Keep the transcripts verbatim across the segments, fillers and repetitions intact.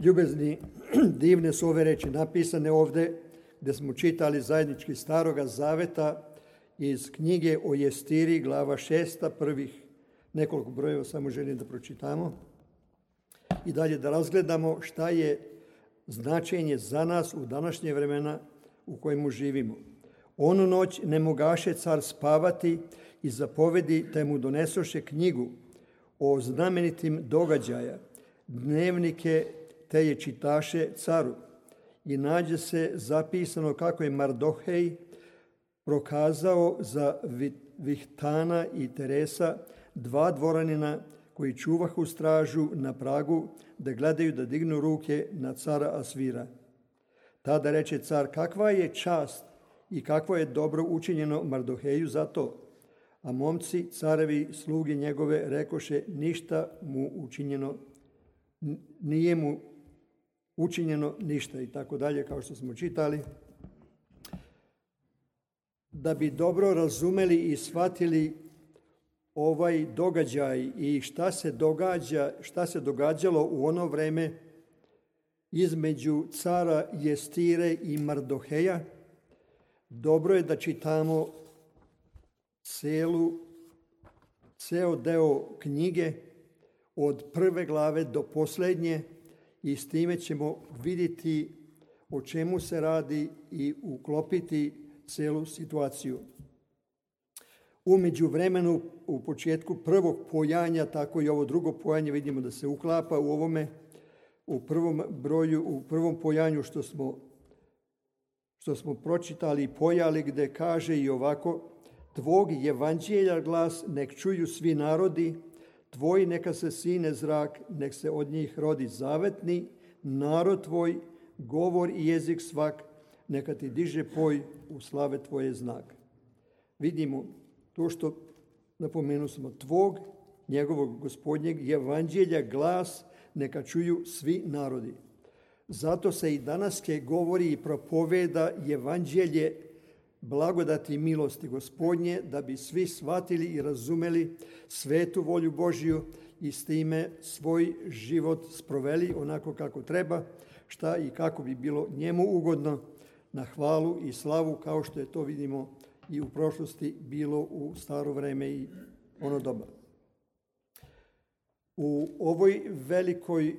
Ljubezni, divne su ove reči napisane ovde, gde smo čitali zajednički Staroga Zaveta iz knjige o Jestiri, glava šesta, prvih nekoliko brojeva samo želim da pročitamo i dalje da razgledamo šta je značenje za nas u današnje vremena u kojemu živimo. Onu noć ne mogaše car spavati i zapovedi te mu donesoše knjigu o znamenitim događaja, dnevnike te je čitaše caru. I nađe se zapisano kako je Mardohej prokazao za Vihtana i Teresa, dva dvoranina koji čuvahu stražu na pragu, da gledaju da dignu ruke na cara Asvira. Tada reče car, kakva je čast i kakvo je dobro učinjeno Mardoheju za to. A momci, carevi, sluge njegove, rekoše, ništa mu učinjeno, nije mu učinjeno ništa i tako dalje, kao što smo čitali. Da bi dobro razumeli i shvatili ovaj događaj i šta se događa, šta se događalo u ono vreme između cara Jestire i Mardoheja, dobro je da čitamo celu, ceo deo knjige od prve glave do posljednje i s time ćemo vidjeti o čemu se radi i uklopiti celu situaciju. U međuvremenu, u početku prvog pojanja, tako i ovo drugo pojanje vidimo da se uklapa u ovome, u prvom broju, u prvom pojanju što smo, što smo pročitali i pojali, gde kaže i ovako, tvog evanđelja glas nek čuju svi narodi, tvoj neka se sine zrak, nek se od njih rodi zavetni, narod tvoj, govor i jezik svak, neka ti diže poj u slave tvoje znak. Vidimo to što napomenu smo, tvog, njegovog gospodnjeg evanđelja glas neka čuju svi narodi. Zato se i danaske govori i propoveda evanđelje blagodati i milosti gospodnje, da bi svi shvatili i razumeli svetu volju Božju i s time svoj život sproveli onako kako treba, šta i kako bi bilo njemu ugodno, na hvalu i slavu, kao što je to vidimo i u prošlosti bilo u staro vreme i ono doba. U ovoj velikoj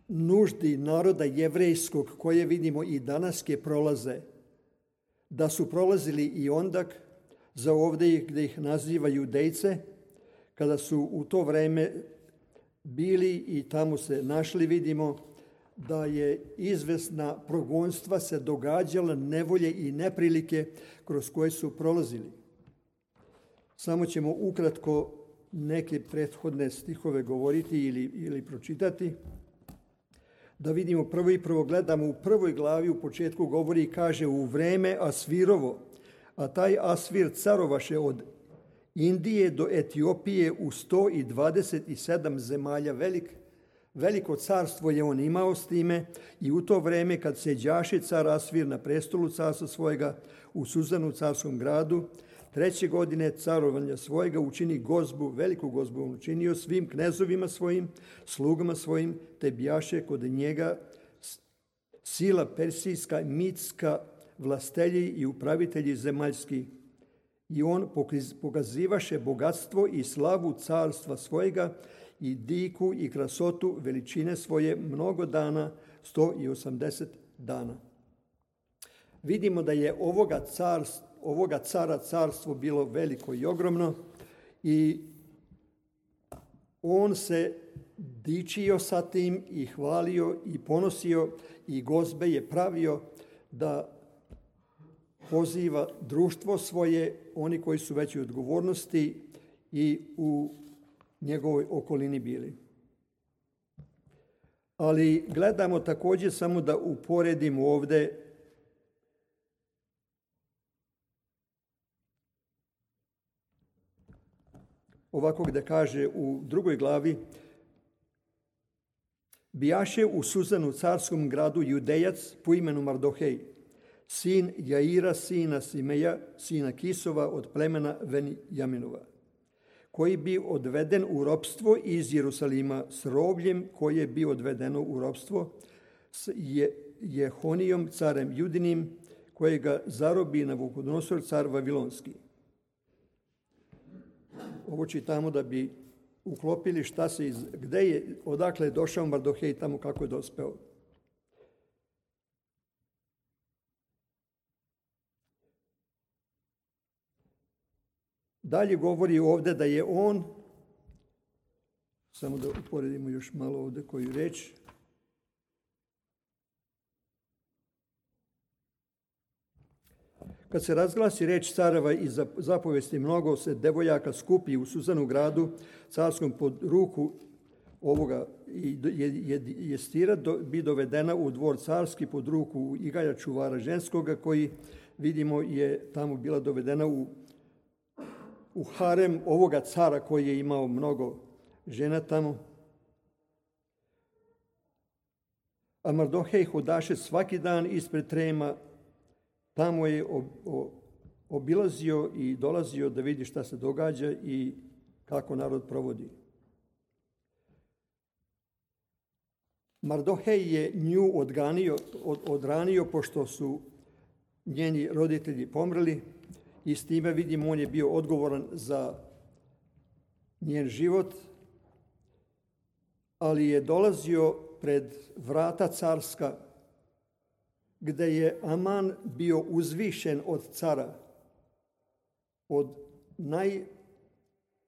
nuždi naroda jevrejskog, koje vidimo i danaske prolaze, da su prolazili i ondak, za ovdje gdje ih naziva Judejce, kada su u to vreme bili i tamo se našli, vidimo da je izvesna progonstva se događala, nevolje i neprilike kroz koje su prolazili. Samo ćemo ukratko neke prethodne stihove govoriti ili, ili pročitati. Da vidimo prvo i prvo gledamo u prvoj glavi, u početku govori i kaže u vreme Asvirovo, a taj Asvir carovaše od Indije do Etiopije u sto dvadeset sedam zemalja. Velik, veliko carstvo je on imao s time i u to vreme kad seđaše car Asvir na prestolu carstva svojega u Suzanu carskom gradu, treće godine carovanja svojega učini gozbu, veliku gozbu on učinio svim knezovima svojim, slugama svojim, te bijaše kod njega sila persijska, mitska, vlastelji i upravitelji zemaljski. I on pokazivaše bogatstvo i slavu carstva svojega i diku i krasotu veličine svoje mnogo dana, sto osamdeset dana. Vidimo da je ovoga carstva, ovoga cara carstvo bilo veliko i ogromno i on se dičio sa tim i hvalio i ponosio i gozbe je pravio da poziva društvo svoje, oni koji su veći odgovornosti i u njegovoj okolini bili. Ali gledamo također samo da uporedimo ovdje ovako gde kaže u drugoj glavi, bijaše u Suzanu carskom gradu Judejac po imenu Mardohej, sin Jaira, sina Simeja, sina Kisova od plemena Venjaminova, koji bi odveden u ropstvo iz Jerusalima s robljem koje bi odvedeno u ropstvo s Jehonijom, carem Judinim, kojega zarobi Navukodonosor, car Vavilonski. Ovo čitamo da bi uklopili šta se iz, gde je, odakle je došao Mardohej, tamo kako je dospeo. Dalje govori ovde da je on, samo da uporedimo još malo ovde koju reč, kad se razglasi reč careva i zapovesti, mnogo se devojaka skupi u Suzanu gradu carskom pod ruku ovoga i Jestira bi dovedena u dvor carski pod ruku Igaja čuvara ženskoga, koji vidimo je tamo bila dovedena u, u harem ovoga cara koji je imao mnogo žena tamo. A Mardohej hodaše svaki dan ispred trema. Tamo je obilazio i dolazio da vidi šta se događa i kako narod provodi. Mardohej je nju odganio, od, odranio pošto su njeni roditelji pomrli i s time vidimo on je bio odgovoran za njen život, ali je dolazio pred vrata carska gde je Aman bio uzvišen od cara, od naj,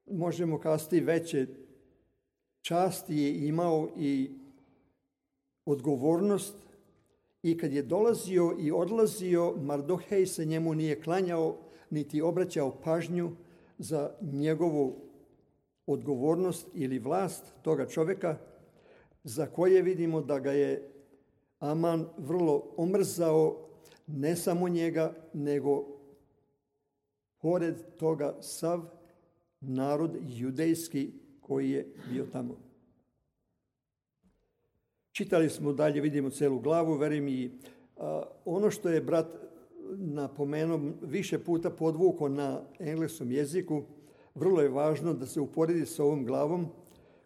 možemo kazati, veće časti je imao i odgovornost, i kad je dolazio i odlazio, Mardohej se njemu nije klanjao, niti obraćao pažnju za njegovu odgovornost ili vlast toga čoveka, za koje vidimo da ga je Aman vrlo omrzao, ne samo njega, nego pored toga sav narod judejski koji je bio tamo. Čitali smo dalje, vidimo celu glavu, verujem i a, ono što je brat napomenuo više puta podvuko na engleskom jeziku, vrlo je važno da se uporedi sa ovom glavom,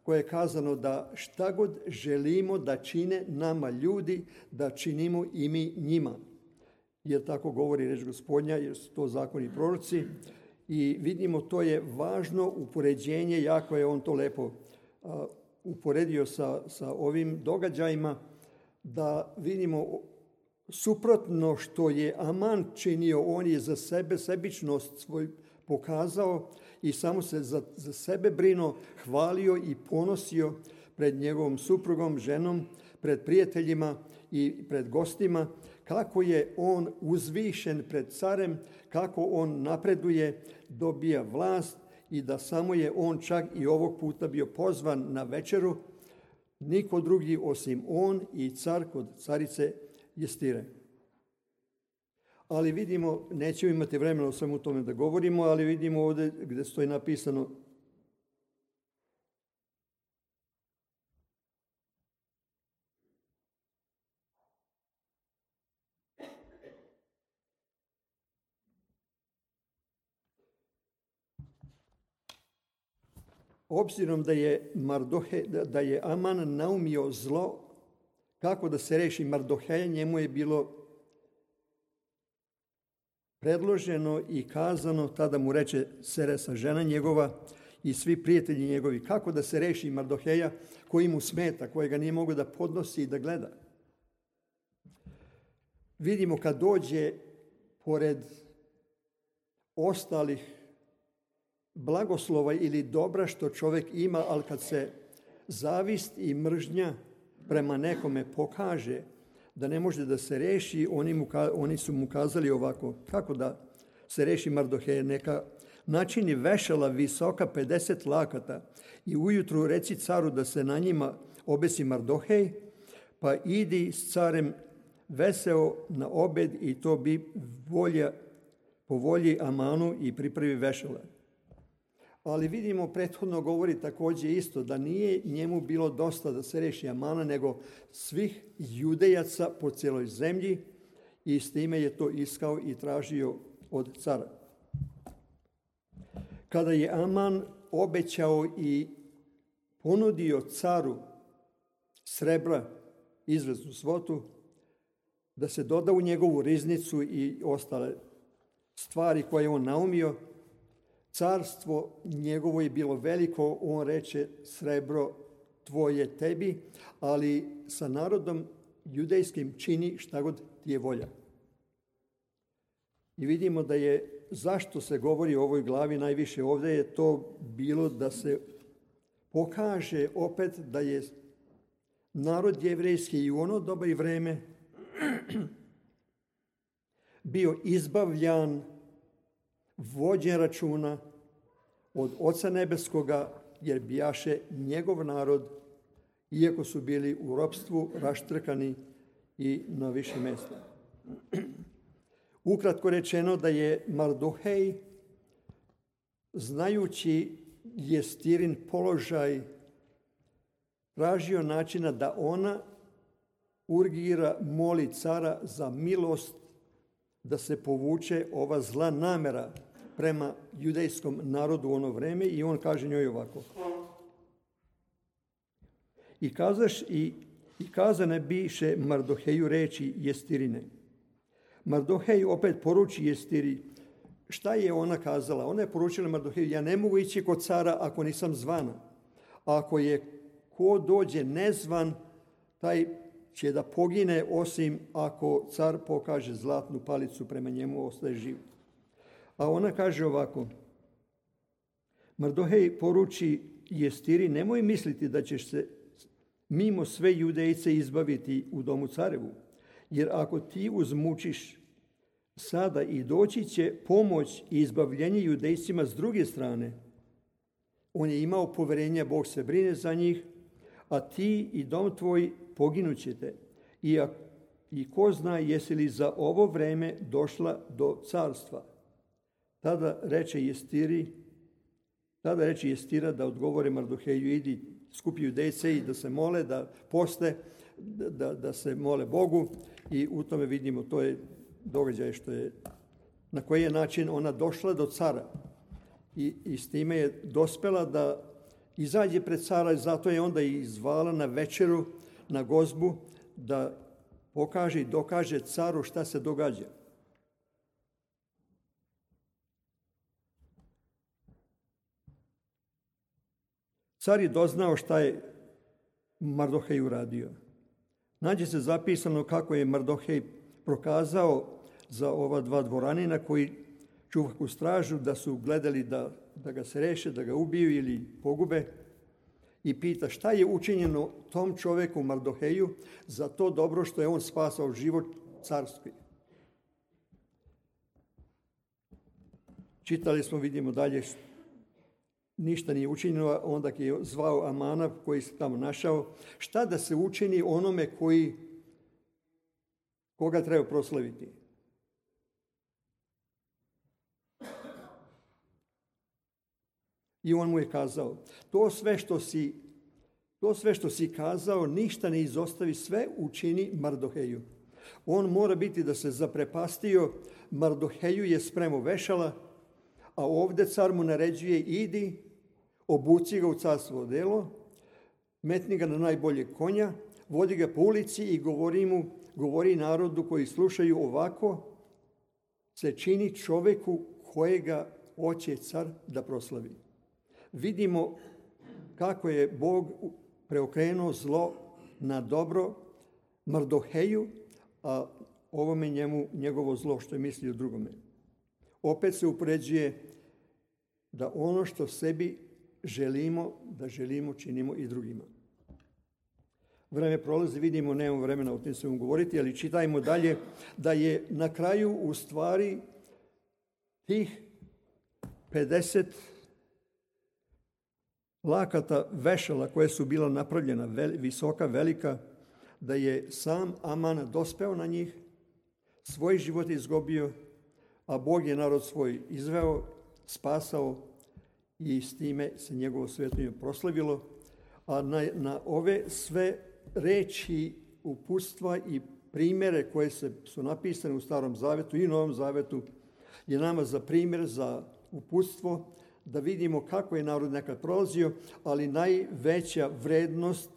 koje je kazano da šta god želimo da čine nama ljudi, da činimo i mi njima. Jer tako govori reč Gospodnja, jer su to zakoni i proroci. I vidimo, to je važno upoređenje, jako je on to lepo a, uporedio sa, sa ovim događajima, da vidimo suprotno što je Aman činio, on je za sebe sebičnost svoj pokazao i samo se za, za sebe brinuo, hvalio i ponosio pred njegovom suprugom, ženom, pred prijateljima i pred gostima, kako je on uzvišen pred carem, kako on napreduje, dobija vlast i da samo je on čak i ovog puta bio pozvan na večeru, niko drugi osim on i car kod carice Jestire. Ali vidimo, nećemo imati vremena o svemu tome da govorimo, ali vidimo ovdje gdje stoji napisano obzirom da je Mardohe, da je Aman naumio zlo, kako da se reši Mardoheja, njemu je bilo predloženo i kazano, tada mu reče Seresa, žena njegova i svi prijatelji njegovi, kako da se reši Mardoheja koji mu smeta, kojega nije mogao da podnosi i da gleda. Vidimo kad dođe pored ostalih blagoslova ili dobra što čovjek ima, ali kad se zavist i mržnja prema nekome pokaže da ne može da se reši, oni, mu, oni su mu kazali ovako, kako da se reši Mardohej, neka načini vešala visoka pedeset lakata i ujutru reci caru da se na njima obesi Mardohej, pa idi s carem veseo na obed i to bi volja, po volji Amanu i pripravi vešala. Ali vidimo, prethodno govori također isto da nije njemu bilo dosta da se reši Amana, nego svih judejaca po cijeloj zemlji i s time je to iskao i tražio od cara. Kada je Aman obećao i ponudio caru srebra, izvesnu svotu, da se doda u njegovu riznicu i ostale stvari koje je on naumio. Carstvo njegovo je bilo veliko, on reče srebro tvoje tebi, ali sa narodom judejskim čini šta god ti je volja. I vidimo da je, zašto se govori o ovoj glavi najviše ovdje, je to bilo da se pokaže opet da je narod jevrejski i u ono doba i vreme bio izbavljan, vođen računa od Oca Nebeskoga, jer bijaše njegov narod, iako su bili u ropstvu, raštrkani i na više mjesta. Ukratko rečeno da je Mardohej, znajući Jestirin položaj, tražio načina da ona urgira, moli cara za milost, da se povuče ova zla namera prema judejskom narodu u ono vreme, i on kaže njoj ovako. I kazaš i, i kazane biše Mardoheju reči Jestirine. Mardohej opet poruči Jestiri. Šta je ona kazala? Ona je poručila Mardoheju, ja ne mogu ići kod cara ako nisam zvana. Ako je ko dođe nezvan, taj će da pogine, osim ako car pokaže zlatnu palicu prema njemu, ostaje živ. A ona kaže ovako. Mardohej poruči Jestiri, nemoj misliti da ćeš se mimo sve judejce izbaviti u domu carevu, jer ako ti uzmučiš sada i doći će pomoć i izbavljenje judejcima s druge strane. On je imao poverenja, Bog se brine za njih, a ti i dom tvoj poginućete. I, I ko zna jesi li za ovo vreme došla do carstva. Tada reče Jestiri, tada reče Jestira da odgovore Mardoheju, idi skupi judejce i da se mole, da poste, da, da se mole Bogu, i u tome vidimo, to je događaj što je, na koji je način ona došla do cara. I, i s time je dospela da izađe pred cara, i zato je onda i zvala na večeru, na gozbu, da pokaže i dokaže caru šta se događa. Car je doznao šta je Mardohej uradio. Nađe se zapisano kako je Mardohej prokazao za ova dva dvoranina koji čuvaku stražu, da su gledali da, da ga se reše, da ga ubiju ili pogube, i pita šta je učinjeno tom čoveku Mardoheju za to dobro što je on spasao život carski. Čitali smo, vidimo dalje, ništa nije učinjeno, onda je zvao Amana koji se tamo našao. Šta da se učini onome koji, koga treba proslaviti? I on mu je kazao, to sve što si, to sve što si kazao, ništa ne izostavi, sve učini Mardoheju. On mora biti da se zaprepastio, Mardoheju je spremao vešala, a ovdje car mu naređuje, idi, obuci ga u carstvo odelo, metni ga na najboljeg konja, vodi ga po ulici i govori mu, govori narodu koji slušaju, ovako se čini čoveku kojega hoće car da proslavi. Vidimo kako je Bog preokrenuo zlo na dobro Mardoheju, a ovome njemu njegovo zlo što je mislio drugome. Opet se upoređuje da ono što sebi želimo, da želimo, činimo i drugima. Vreme prolazi, vidimo, nemamo vremena o tim svemu govoriti, ali čitajmo dalje da je na kraju u stvari tih pedeset lakata vešala koje su bila napravljena, vel, visoka, velika, da je sam Aman dospeo na njih, svoj život izgubio, a Bog je narod svoj izveo, spasao, i s time se njegovo svetinje proslavilo. A na, na ove sve reči, uputstva i primjere koje se, su napisane u Starom Zavetu i Novom Zavetu, je nama za primjer, za uputstvo, da vidimo kako je narod nekad prolazio, ali najveća vrednost,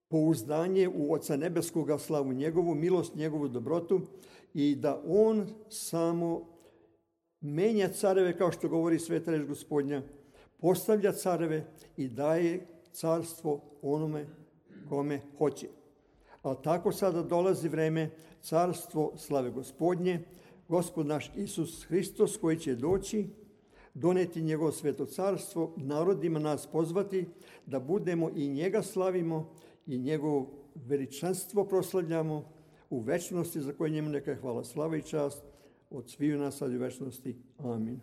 pouzdanje u Oca Nebeskoga, slavu njegovu, milost njegovu, dobrotu i da on samo menja careve, kao što govori sveta reč Gospodnja, postavlja careve i daje carstvo onome kome hoće. Ali tako sada dolazi vreme, carstvo slave Gospodnje, Gospod naš Isus Hristos koji će doći, doneti njegovo sveto carstvo, narodima nas pozvati da budemo i njega slavimo i njegovo veličanstvo proslavljamo u večnosti za koje njemu neka je hvala, slava i čast od sviju nas sad u večnosti. Amin.